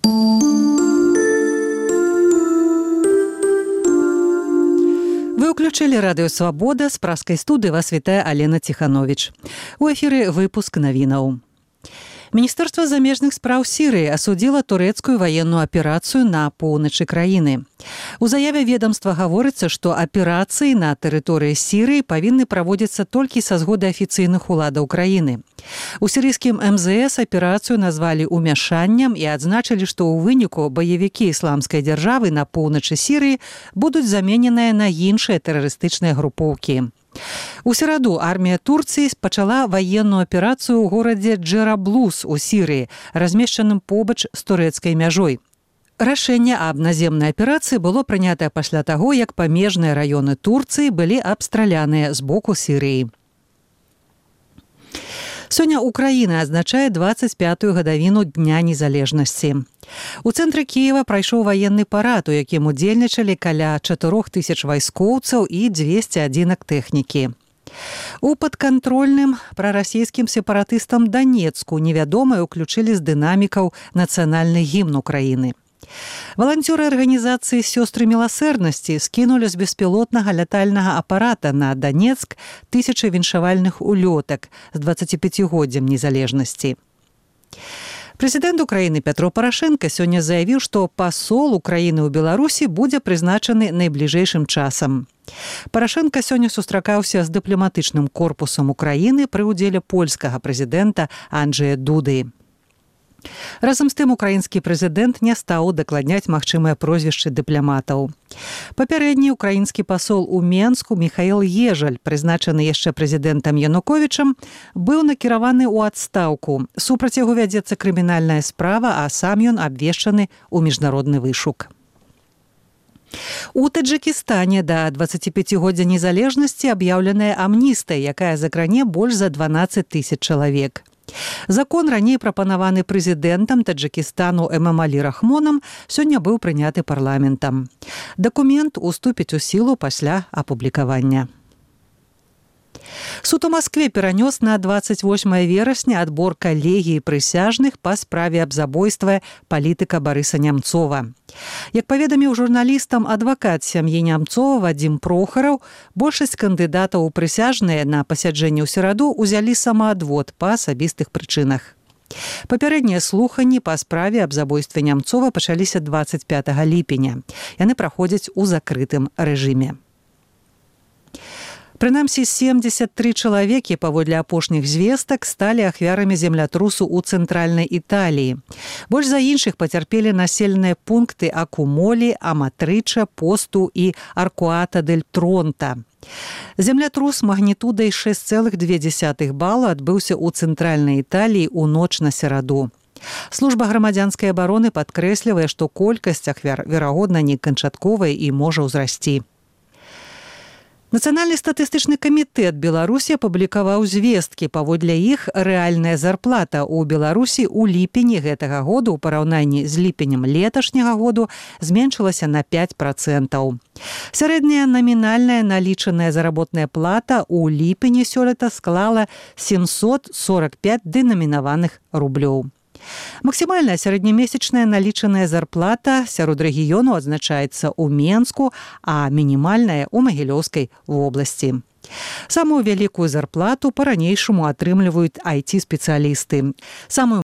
Вы ўключылі радыё «Свабода», з праскай студыі вас вітае Алена Ціхановіч. У эфіры выпуск навінаў. Міністэрства замежных спраў Сірыі асудзіла турэцкую ваенную аперацыю на поўначы краіны. У заяве ведомства гаворыцца, што аперацыі на тэрыторыі Сірыі павінны праводзіцца толькі са згоды афіцыйных уладаў краіны. У сірыйскім МЗС аперацыю назвалі ўмяшаннем і адзначылі, што ў выніку баевікі ісламскай дзяржавы на поўначы Сірыі будуць замененыя на іншыя тэрарыстычныя групоўкі. У сераду армія Турцыі пачала ваенную аперацыю ў горадзе Джераблус у Сірыі, размешчаным побач з турэцкай мяжой. Рашэнне аб наземнай аперацыі было прынятае пасля таго, як памежныя раёны Турцыі былі абстраляныя з боку Сірыі. Сёння Украіна адзначае 25-ю гадавіну Дня незалежнасці. У цэнтры Кіева прайшоў ваенны парад, у якім удзельнічалі каля 4000 вайскоўцаў і 200 адзінак тэхнікі. У падкантрольным прарасійскім сепаратыстам Данецку невядомыя ўключылі з дынамікаў нацыянальны гімн Украіны. Валанцёры арганізацыі «Сёстры міласэрнасці» скінулі з беспілотнага лятальнага апарата на Данецк 1000 віншавальных улётак з 25-годдзем незалежнасці. Прэзідэнт Украіны Пятро Парашэнка сёння заявіў, што пасол Украіны ў Беларусі будзе прызначаны найбліжэйшым часам. Парашэнка сёння сустракаўся з дыпламатычным корпусам Украіны пры ўдзеле польскага прэзідэнта Анджэя Дуды. Разам з тым украінскі прэзідэнт не стаў дакладняць магчымыя прозвішчы дыпламатаў. Папярэдні украінскі пасол у Менску Міхаіл Ежаль, прызначаны яшчэ прэзідэнтам Януковічам, быў накіраваны ў адстаўку. Супраць яго вядзецца крымінальная справа, а сам ён абвешчаны ў міжнародны вышук. У Таджыкістане да 25-годдзя незалежнасці аб'яўленая амністыя, якая закране больш за 12 000 чалавек. Закон, раней прапанаваны прэзідэнтам Таджыкістану Эмамалі Рахмонам, сёння быў прыняты парламентам. Дакумент уступіць у сілу пасля апублікавання. Суд у Маскве перанёс на 28 верасня адбор калегіі прысяжных па справе аб забойстве палітыка Барыса Нямцова. Як паведаміў журналістам адвакат сям'і Нямцова Вадзім Прохараў, большасць кандыдатаў у прысяжныя на пасяджэнні ў сераду ўзялі самаадвод па асабістых прычынах. Папярэднія слуханні па справе аб забойстве Нямцова пачаліся 25 ліпеня. Яны праходзяць у закрытым рэжыме. Прынамсі, 73 чалавекі, паводле апошніх звестак, сталі ахвярамі землятрусу ў цэнтральнай Італіі. Больш за іншых пацярпелі населеныя пункты Акумолі, Аматрыча, Посту і Аркуата-дель-Тронта. Землятрус магнітудай 6,2 бала адбыўся ў цэнтральнай Італіі ў ноч на сераду. Служба грамадзянскай абароны падкрэслівае, што колькасць ахвяр, верагодна, не канчатковая і можа ўзрасці. Нацыянальны статыстычны камітэт Беларусі апублікаваў звесткі. Паводле іх рэальная зарплата ў Беларусі ў ліпені гэтага году ў параўнанні з ліпенем леташняга году зменшылася на 5%. Сярэдняя намінальная налічаная заработная плата ў ліпені сёлета склала 745 дэнамінаваных рублёў. Максімальная сярэднямесячная налічаная зарплата сярод рэгіёну адзначаецца ў Менску, а мінімальная ў Магілёўскай вобласці. Самую вялікую зарплату па-ранейшаму атрымліваюць IT-спецыялісты. Самую